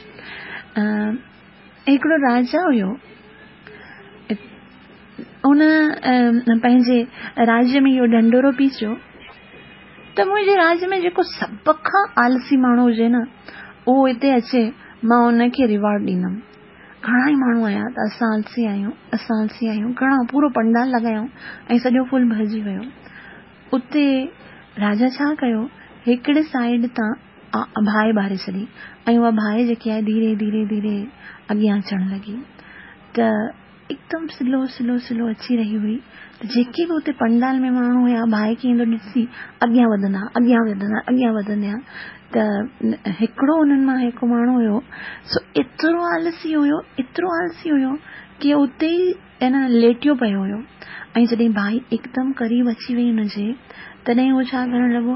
هڪڙو راجا هيو ان پنهنجي راجيه ۾ اهو ڍنڍورو پيسيو ته منهنجي راجيه ۾ جيڪو سڀ کان آلسي ماڻهو هجي نه اهو هتي اچي مان ان کي ريوارڊ ڏيندم. گهڻا ئي ماڻهو آيا ته اسان آلسي آهيون، اسان آلسي آهيون، گهڻا پورو پنڊال لڳايائون ۽ سڄو فل ڀرجي ويو. اتي راجا ڇا ڪيو، هڪڙي سائيڊ تان باهه ٻاري ڇڏي ۽ اها باهه جيڪي آهي ڌيري ڌيري ڌيري اڳيان اچڻ لڳي ته هڪدم سلو سلو سلو اچي رهي هئي ته جيڪي به اتي پنڊال ۾ ماڻهو هيا باهه کي ايندو ڏسي اڳيان وڌندا اڳيان وڌندا اڳيان وڌندا ته هڪڙو انهن مان هڪ ماڻهو هيو سو ايترو آلسي هيو ايترو آلسي هيو ڪي اتي ئي ائين ليٽيو پيو هيو ۽ جڏهن باهه هڪدم قريب اچي وئي هن جي تڏهن هو ڇا ڪرڻ لڳو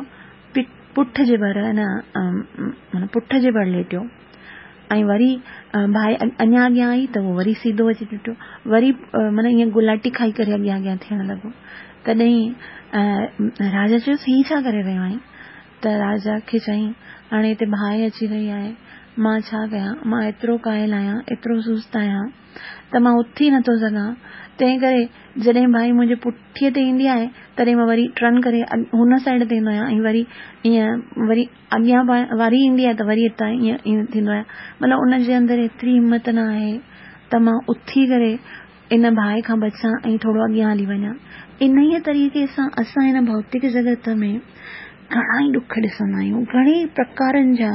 پٺ جي ڀر معنيٰ پٺ جي ڀر ليٽيو ۽ وري باهه اڃا اڳيان آئي ته هو وري سيڌو اچي ليٽيو وري معنيٰ ائين گلاٽي کائي ڪري اڳيان اڳيان ٿيڻ لڳو تڏهن راجا چيس هي ڇا ڪري رهيو آهين ته راجا کي چيائين، هاڻي هتي باهه اچي رهي آهي، مان ڇا ڪيان؟ مان ايترو ڪاهل آهيان، ايترو سست آهيان ته مان اٿي نٿو سگهان، تنهن ڪري جڏهن باهه منهنجي پٺيء تي ايندي آهي، تڏهن مان وري ٽرن ڪري هن سائيڊ تي ايندو آهيان ۽ وري ائين وري اڳيان واري ايندي آهي ته وري هتان ائين ائين ٿيندو آهيان. مطلب ان جي اندر ايتري همت نه آهي ته مان اٿي ڪري ان باهه کان بچان ۽ ٿورو اڳيان هلي وڃان. انهيء طريقي سان اسان هن ڀوتڪ جڳت ۾ گهڻا ئي ڏک ڏسندا آهيون. گهڻي ئي پرڪارن جا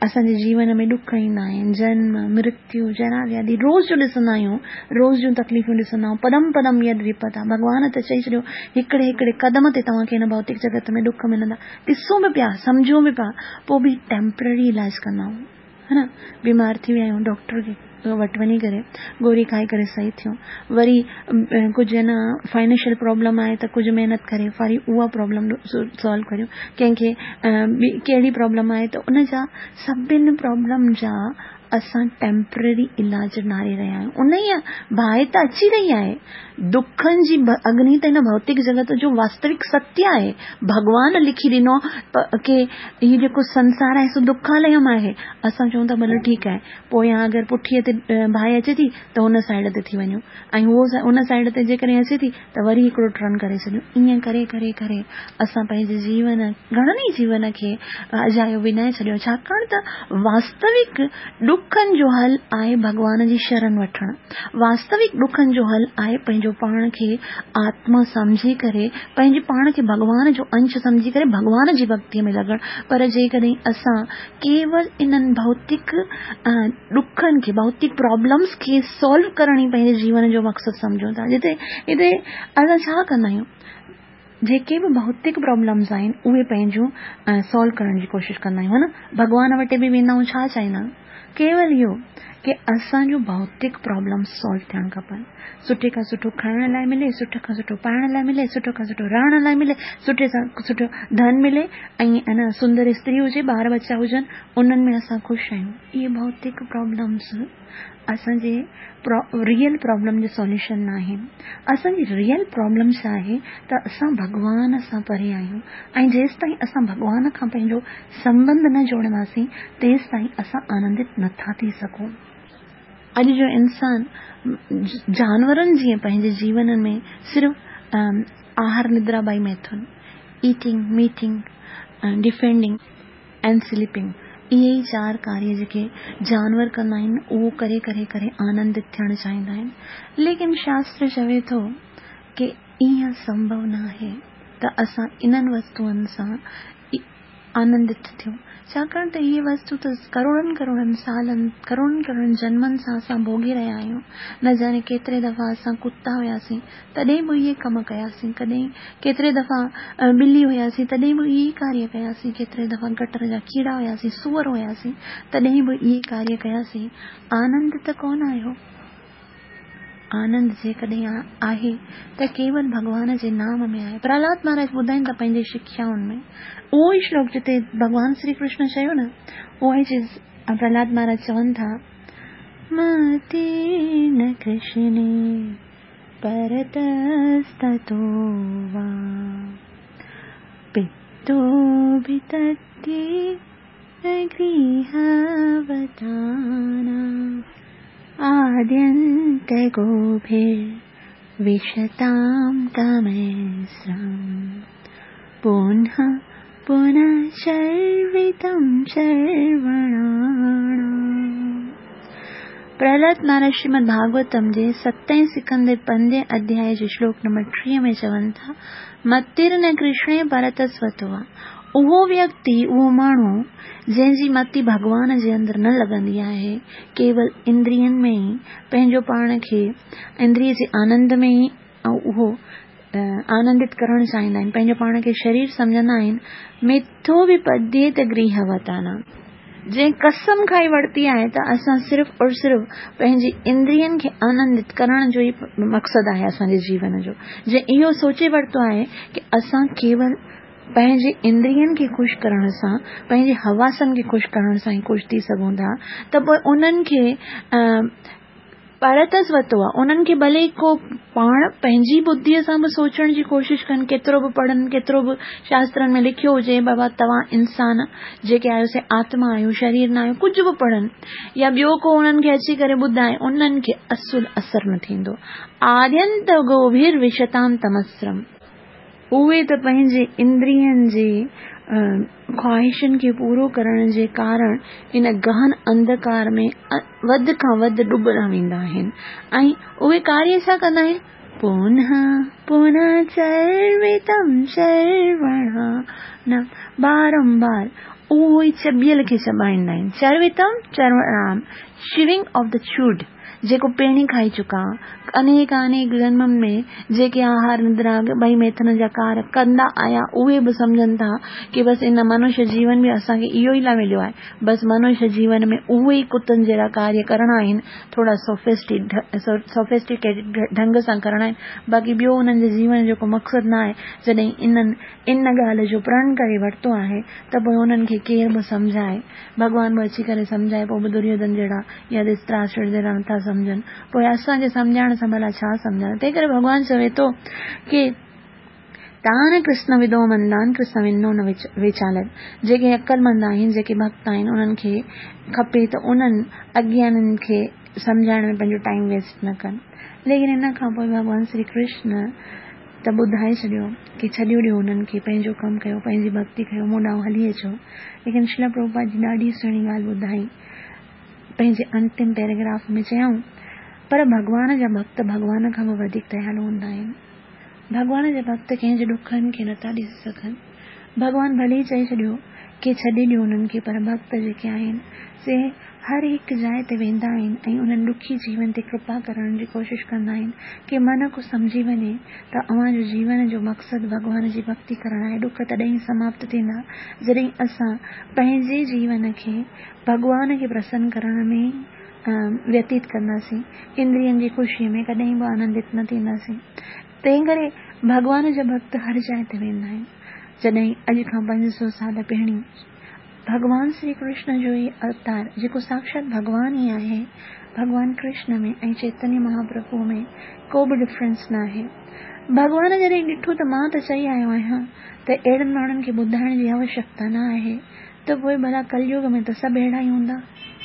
اسان جي جيون ۾ ڏک ايندا آهن. جنم، مرتيو، جرا وياڌي روز جو ڏسندا آهيون. روز جون تڪليفون ڏسندا آهيون. پدم پدم يد وپتا ڀڳوان ته چئي ڇڏيو هڪڙي هڪڙي قدم تي توهان کي هن ڀوتڪ جڳت ۾ ڏک ملندا. ڏسون به پيا، سمجهون به پيا، پوء به ٽيمپرري علاج ڪندا آهيون. ها نه بيمار ٿي ويا آهيون ڊاڪٽر کي وٽ وڃي ڪري گوري کائي ڪري صحيح ٿيون وري ڪجهه نه فائنينشل پرابلم آهي ته ڪجهه محنت ڪري وري اها پرابلم سالو ڪريون ڪنهن کي ٻي ڪهڙي پرابلم آهي ته ان جا سڀن پرابلم جا اسان ٽيمپرري علاج ناري رهيا آهيون انهيء باهه ته اچي رهي آهي دکن جي اگني ته هن ڀوتڪ جڳت جو واستوڪ ستيه آهي. ڀڳوان لکي ڏنو ڪي هي جيڪو سنسار آهي سو دکاليم آهي. اسان چئون ٿا ڀلي ٺيڪ آهي. پويان اگر پٺيء تي باهه اچي ٿي ته هن سائيڊ تي ٿي وڃون ۽ هو ان سائيڊ تي جيڪڏهن اچي ٿي ته وري هڪڙو ٽرن ڪري ڇڏيون. ائين ڪري ڪري ڪري اسان پنهنجي جيون گهڻن ئي جيون کي اجايو وڃائي ڇڏيو ڇاڪاڻ ته واستوڪ ڏکن جو حل آهي ڀڳوان جي شرن وٺڻ. واستوڪ ڏکن جو حل آهي پنهنجو پاڻ کي آتما سمجهي ڪري پنهنجي پاڻ کي ڀڳوان جو انش سمجهي ڪري ڀڳوان جي ڀڳتيء ۾ لڳڻ. پر جيڪڏهن اسان ڪيول انهن ڀوتڪ ڏکن کي ڀوتڪ پرابلمس کي سالو ڪرڻ ئي پنهنجي جيون جو مقصد سمجهون ٿا جتي هتي اسان ڇا ڪندا آهيون جيڪي به ڀوتڪ پرابلمس آهن اهي پنهنجون سالو ڪرڻ جي ڪوشش ڪندا آهيون ها نه ڀڳوان وٽ به ويندا آهيون ڇا چاهيندا آهيون ڪيول اهو ڪي اسان جون ڀوتڪ پرابلمس سالو ٿيڻ کپن سٺي کان سٺو کائڻ لاء ملي سٺي کان سٺو پائڻ لاء ملي سٺو کان سٺو رهڻ لاء ملي سٺي سان سٺو ڌن ملي ۽ انا سندر استري هجي ٻار ٻچا هجن انهن ۾ اسان خوش آهيون اهي ڀوتڪ پرابلمس اسان جي ريئل پرابلم جو سوليوشن ناهي. اسان جي ريئل پرابلم ڇا آهي ته اسان ڀڳوان سان پري آهيون ۽ جيستائين اسان ڀڳوان کان پنهنجو سنٻنڌ نه جوڙنداسين تيستائين اسان آنندت نٿا ٿي سگهون. اڄ جو انسان جانورن جيئن پنهنجي جيون ۾ صرف آهار ندرا ٻائي ميٿن، ايٽنگ، ميٽنگ، ڊفينڊنگ، ۽ سليپنگ اهي ئي چار ڪاريه جيڪي جانور ڪندا آهن اهو ڪري ڪري ڪري آنندت ٿيڻ چاهيندا آهن ليڪن شاستر چوي ٿو ڪي ايئن سنڀو نه آهي ته اسان انهن وستوئن سان آنندت ٿيون ڇاڪاڻ ته اهي وستو ته ڪروڙن ڪروڙن سالن ڪروڙن ڪروڙن جنمن سان اسان ڀوڳي رهيا آهيون نه ڄاڻي ڪيتري دفعا اسان ڪتا هياسين تڏهن به اهي ڪم ڪياسين، ڪڏهن ڪيتري دفعا ٻلي هياسين تڏهن به اهي ئي ڪاريه ڪياسين، ڪيتري دفعا گٽر جا ڪيڙا هياسين، سوئر هياسين، تڏهن به اهي ڪاريه ڪياسين، آنند ته ڪونه آيو. آنند جيڪڏهن آهي ته ڪيول ڀڳوان جي نام ۾ آهي. پرهلاد مهاراج ٻڌائين ٿا پنهنجي شکيائن ۾ اهو ئي شلوڪ جتي ڀڳوان شري ڪرشن چيو نه اها ئي چيز پرهلاد مهاراج چون ٿا متي نه ڪرشني پرتستو وا پتو ڀتتي گرهوتانا آدينت گوڀر وشتام تمسرم پنه پنه شروتم شروڻاڻام. پرهلاد مهاراج شريمد ڀاڳوتم جي ستين سڪندي پنجين اڌيائي جي شلوڪ نمبر 30 ۾ چون ٿا، متر نه ڪرشڻي پرتسوتوا اهو ويڪتي، اهو ماڻهو، جنهن جي متي ڀڳوان جي اندر نه لڳندي آهي، ڪيول اندرين ۾ ئي پنهنجو پاڻ کي اندريي جي آنند ۾ ئي اهو آنندت ڪرڻ چاهيندا آهن، پنهنجو پاڻ کي شرير سمجهندا آهن، مٿو به پديت گرهه وتانا. جنهن قسم کائي ورتي آهي ته اسان صرف اور صرف پنهنجي اندرين کي آنندت ڪرڻ جو ئي مقصد آهي اسان جي جيون جو. جنهن اهو سوچي ورتو آهي ڪي اسان ڪيول پنهنجي اندرين کي خوش ڪرڻ سان، پنهنجي حواسن کي خوش ڪرڻ سان ئي خوش ٿي سگهون ٿا ته پوء انهن کي پرتس ورتو آهي، انهن کي ڀلي ڪو پاڻ پنهنجي ٻڌيء سان به سوچڻ جي ڪوشش ڪن، ڪيترو به پڙهن، ڪيترو به شاسترن ۾ لکيو هجي، بابا توهان انسان جيڪي آهيو سي آتما آهيو، شرير نه آهيو، ڪجهه به پڙهن يا ٻيو ڪو انهن کي اچي ڪري ٻڌائي، انهن کي اصل اثر نه ٿيندو. آدينت گوڀير وشتام تمسرم. اهي ته پنهنجي اندرين جي خواهشن کي پورو ڪرڻ جي ڪارڻ ان گهن انڌڪار ۾ وڌ کان وڌ ڏبندا ويندا آهن ۽ اهي ڪاريه ڇا ڪندا آهن؟ پونهه پونهه چروتم چروڻام بارمبار اهو ئي چٻيل کي چٻائيندا آهن چروتم چروڻام Chewing of the Chewed جيڪو پهرين کائي چڪا، انيڪ انيڪ جنمن ۾ جيڪي آهار ندرا ٻئي ميٿن جا ڪار ڪندا آيا اهي به سمجهن ٿا ڪي بس ان منش جيون به اسان کي اهو ئي لاء مليو آهي بس منش جيون ۾ اهي ئي ڪتن جهڙا ڪاريه ڪرڻا آهن ٿورا سوفسٽيڪيٽڊ ڍنگ سان ڪرڻا آهن باقي ٻيو انهن جي جيون جو ڪو مقصد نه آهي جڏهن انهن ان ڳالهه جو پرڻ ڪري ورتو آهي ته پوء انهن کي ڪير به سمجهائي ڀڳوان به اچي ڪري سمجهائي پوء به دريوڌن جهڙا يا ڌرتراشٽر جهڙا نٿا سمجهن پوء اسان کي سمجهائڻ سان ڀلا ڇا سمجهندا تنهن ڪري ڀڳوان چوي ٿو ڪي تان ڪرشن ودو مندان ڪرشن ونو نه ويچالن جيڪي عقلمند آهن جيڪي ڀڳت آهن انهن کي کپي ته انهن اگيانين کي سمجهائڻ ۾ پنهنجو ٽائيم ويسٽ نه ڪن ليڪن ان کان پوء ڀڳوان شري ڪرشن ته ٻڌائي ڇڏيو ڪي ڇڏيو ڏيو انهن کي پنهنجو ڪم ڪيو پنهنجي ڀڳتي ڪيو مون ڏانهن هلي اچو ليڪن شريلا پرڀوپاد جي ڏاڍي سهڻي ڳالهه ٻڌائي پنهنجي انتم پيراگراف ۾ چيائون پر ڀڳوان جا ڀڳت ڀڳوان کان به وڌيڪ ديالو هوندا آهن ڀڳوان جا ڀڳت ڪنهن جي ڏکن کي نٿا ڏسي سگهن ڀڳوان ڀلي چئي ڇڏيو ڪي ڇڏي ڏيو انهن کي پر ڀڳت جيڪي آهن سي هر هڪ جاء تي ويندا آهن ۽ انهن ڏکي جيون تي ڪرپا ڪرڻ جي ڪوشش ڪندا آهن ڪي من ڪو سمجهي وڃي ته اوهان جو جيون جو مقصد ڀڳوان جي ڀڳتي ڪرڻ آهي ڏک تڏهن ئي سماپت ٿيندا جڏهن اسان پنهنجي جيون کي ڀڳوان کي پرسن ڪرڻ ۾ ويتيت ڪنداسين اندرين جي خوشي ۾ ڪڏهن به آنندت نه ٿينداسين تنهن ڪري ڀڳوان جا ڀڳت هر جاء تي ويندا آهن جڏهن اڄ کان 500 سال پهرين ڀڳوان شري ڪرشن جو هي اوتار جيڪو ساڪشات ڀڳوان ئي آهي، ڀڳوان ڪرشن ۾ ۽ چيتنيه مهاپرڀوء ۾ ڪو به ڊفرنس ناهي. ڀڳوان جڏهن ڏٺو ته مان ته چئي آيو آهيان ته اهڙن ماڻهن کي ٻڌائڻ جي آوشيڪتا نه آهي ته پوء ڀلا ڪليوگ ۾ ته سڀ اهڙا ئي هوندا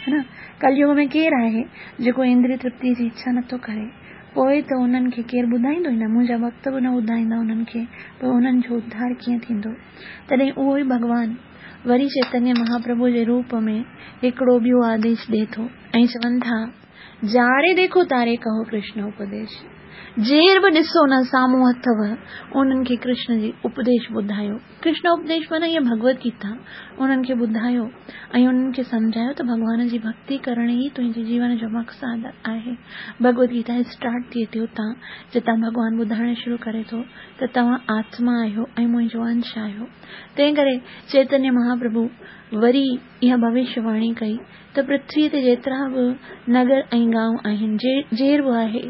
ها نه؟ ڪليوگ ۾ ڪير آهي جيڪو اندري ترپتيء جي اڇا نٿو ڪري؟ پوء ته انهن کي ڪير ٻڌائيندو ئي نه، منهنجا ڀڳت به نه ٻڌائيندا انهن کي، پوء انهن جو اڌار ڪيئن ٿيندو؟ تڏهن اهو ئي ڀڳوان وري چيتنيه مهاپرڀو جي روپ ۾ هڪڙو ٻيو آديش ڏئي ٿو ۽ چون ٿا، جاري ديکو تاري ڪهو ڪرشن اپديش. جير به ڏسو نه سامهون اٿو، انهن کي ڪرشن جي اپديش ٻڌايو. ڪرشن اپديش معنيٰ هيء ڀڳوت گيتا انهن کي ٻڌايو ۽ انهن کي سمجهايو ته ڀڳوان جي ڀڳتي ڪرڻ ئي تنهنجي جيون جو مقصد آهي. ڀڳوت گيتا اسٽارٽ ٿئي ٿي اتان جتان ڀڳوان ٻڌائڻ شروع ڪري ٿو ته توهان آتما آهيو ۽ منهنجو انش آهيو. تنهن ڪري چيتنيه مهاپرڀو وري اها ڀوشيه واڻي ڪئي ته پرٿويء تي جيترا به نگر ۽ گانء آهن، جير به آهي،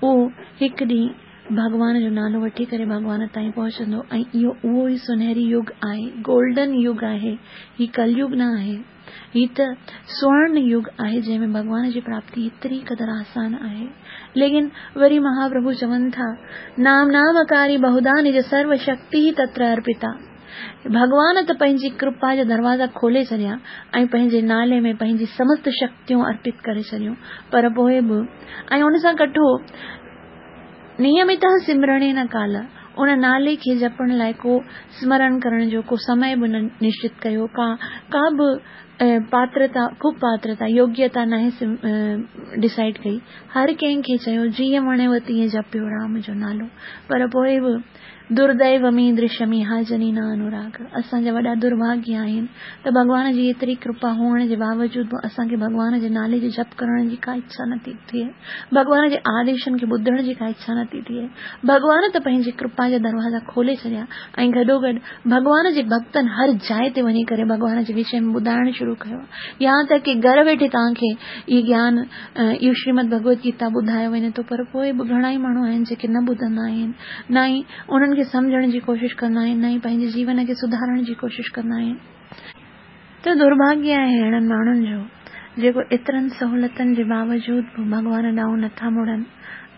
اهو هڪ ڏينهن ڀڳوان جو نالو وٺي ڪري ڀڳوان تائين پهچندو ۽ اهو اهو ئي سونهري يگ آهي، گولڊن يگ آهي، هي ڪليگ نه آهي. هي ته سورڻ يگ آهي جنهن ۾ ڀڳوان جي پراپتي ايتري قدر آسان آهي. ليڪن وري مهاپرڀو چون ٿا، نام نامڪاري بهودا نج سرو شڪتي تتر ارپتا. ڀڳوان ته پنهنجي ڪرپا جا دروازا کولي ڇڏيا ۽ پنهنجي نالي ۾ پنهنجي سمست شڪتيون ارپت ڪري ڇڏيون پر پوء به ۽ ان سان ڪٺو نيمت سمرڻي نه ڪال، ان نالي کي جپڻ لاء ڪو سمرڻ ڪرڻ جو ڪو سمي به نه نشچت ڪيو، ڪا ڪا به پاترتا، خوب پاترتا، يوگيتا ناهي ڊسائيڊ ڪئي. هر ڪنهن کي چيو جيئن وڻيو تيئن جپيو رام جو نالو. پر پوء به درديوميدرشميهاجني نه انوراگ. اسان جا وڏا درڀاڳيه آهن ته ڀڳوان جي ايتري ڪرپا هئڻ جي باوجود به اسان کي ڀڳوان جي نالي جي جپ ڪرڻ جي ڪا اڇا نٿي ٿئي. ڀڳوان جي آديشن کي ٻڌڻ جي ڪا اڇا نٿي ٿئي. ڀڳوان ته پنهنجي ڪرپا جا دروازا کولي ڇڏيا ۽ گڏوگڏ ڀڳوان جي ڀڳتن هر جاء تي وڃي ڪري ڀڳوان جي وشي ۾ ٻڌائڻ شروع ڪيو. يهان تڪ ڪي گهر ويٺي توهان کي اهي گيان، اهو شريمد ڀڳوت گيتا ٻڌايو وڃي ٿو پر پوء به گهڻا ئي ماڻهو آهن جيڪي نه ٻڌندا آهن، نه ئي انهن کي سمجهڻ جي ڪوشش ڪندا آهن، نه ئي پنهنجي جيون کي سڌارڻ جي ڪوشش ڪندا آهن. ته درڀاڳيه آهي اهڙن ماڻهن جو جيڪو ايترن سهولتن جي باوجود به ڀڳوان ڏانهن نٿا مڙن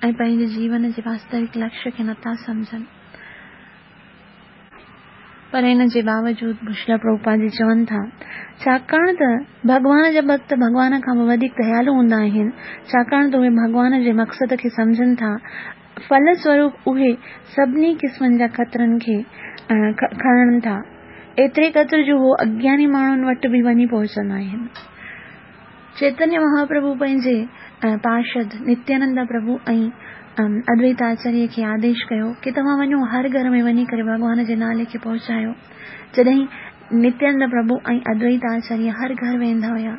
۽ پنهنجي جيون جي واستوڪ لڪشيه کي نٿا سمجهن. پر ان جي باوجود به شريلا پرڀوپاد جي چون ٿا، ڇاڪاڻ ته ڀڳوان جا ڀڳت ڀڳوان کان به وڌيڪ ديالو هوندا آهن، ڇاڪاڻ ته اهي ڀڳوان جي مقصد کي سمجهن ٿا، ڦل سوروپ اهي سڀني قسمن جا خطرن کي کڻن ٿا، ايتري قدر جو هو اگياني ماڻهن وٽ به وڃي پهچندا آهن. چيتنيه مهاپرڀو پنهنجي پارشد نتيانندا پرڀو ۽ ادويت آچاريه کي آديش ڪيو ڪي توهان وڃو هر گهر ۾ وڃي ڪري ڀڳوان جي نالي کي پهچايو. جڏهن نتيانندا پرڀو ۽ ادويت آچاريه هر گهر ويندا هيا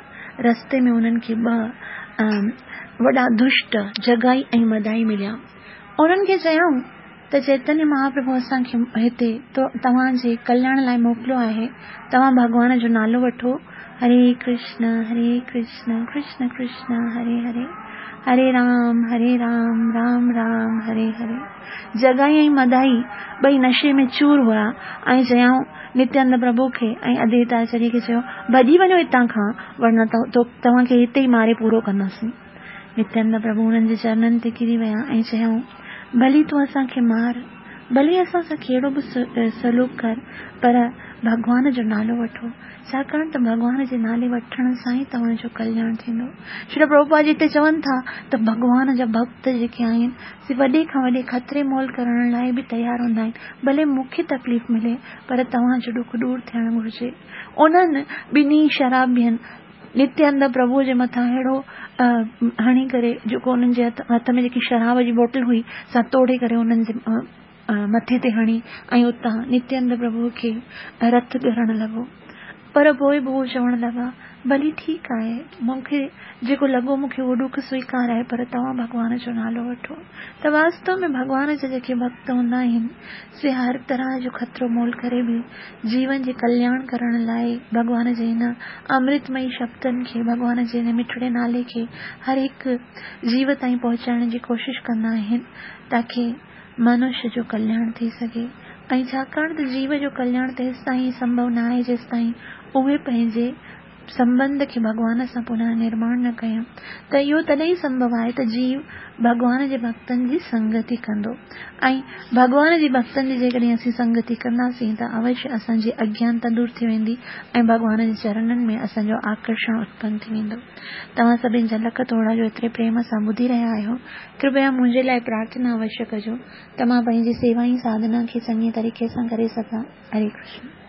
رستي ۾ انهن کي ٻه وڏا دشٽ جگائي ۽ مدائي مليا. انهن کي چيائون ته چيتنيه مهاپرڀو اسان کي هتي توهان جي ڪلياڻ لاء موڪليو آهي، توهان ڀڳوان جو نالو وٺو، هري ڪرشن هري ڪرشن ڪرشن ڪرشن هري هري، هري رام هري رام رام رام هري هري. جگائي ۽ مدائي ٻئي نشي ۾ چور هئا ۽ چيائون نتيانند پرڀو کي ۽ ادويت آچاريه کي چيو، ڀڄي وڃو هتان کان ورنه توهان کي هتي ئي ماري پورو ڪنداسين. نتيانند پرڀو انهن جي چرنن تي ڪري ويا ۽ چيائون، ڀلي تون اسان کي مار، ڀلي اسان سان ڪهڙو به سلوڪ ڪر، پر ڀڳوان جو نالو وٺو، ڇاڪاڻ ته ڀڳوان جي نالي وٺڻ سان ئي توهان جو ڪلياڻ ٿيندو. شريل پرڀوپاد جي هتي چون ٿا ته ڀڳوان جا ڀڳت جيڪي آهن، سي وڏي کان وڏي خطري مول ڪرڻ لاء به تيار هوندا آهن، ڀلي مون کي تڪليف ملي، پر توهان جو ڏک ڏور ٿيڻ گهرجي. انهن ٻنهي شرابين نتيانند پرڀوء جي مٿان اهڙو هڻي ڪري جيڪو انهن جي هٿ ۾ جيڪي شراب جي بوتل هئي سا توڙي ڪري انهن جي مٿي تي هڻي ۽ اتان نتيانند پرڀوء کي رت ڳرڻ لڳو. پر پوء به هو چوڻ لڳا، ڀلي ٺيڪ آهي، مون کي جيڪو لڳو مون کي اهو ڏک سويڪار آهي پر توهان ڀڳوان جو نالو وٺو ته واستو ۾ ڀڳوان جا جيڪي ڀڳت هوندا آهن سي هر طرح جو خطرو مول ڪري به جيون جي ڪلياڻ ڪرڻ لاء ڀڳوان جي هن امرتمئي شبدن کي، ڀڳوان جي هن مٺڙي نالي کي هر هڪ جيو تائين پهچائڻ جي ڪوشش ڪندا آهن تاڪي منش جو ڪلياڻ ٿي سگهي ۽ ڇاڪاڻ ته جيو جو ڪلياڻ تيستائين سنڀو ناهي جيستائين اهي پنهنجي سنٻنڌ کي ڀڳوان سان پنه نرماڻ نه ڪيون ته اهو تڏهن ئي سنڀو آهي ته جيو ڀڳوان جي ڀڳتن جي سنگتي ڪندو ۽ ڀڳوان جي ڀڳتن جي جيڪڏهن اسين سنگتي ڪنداسين ته اوشيه اسان جي اگيانتا دور ٿي ويندي ۽ ڀڳوان جي چرنن ۾ اسان جو آڪرشڻ اتپن ٿي ويندو. توهان سڀن جا لک ٿورا جو ايتري پريم سان ٻڌي رهيا آهيو. ڪرپيا منهنجي لاء پرارٿنا اوشيه ڪجو ته مان پنهنجي سيوا ۽ ساڌنا کي چڱي طريقي سان ڪري سگهان. هري ڪرشن.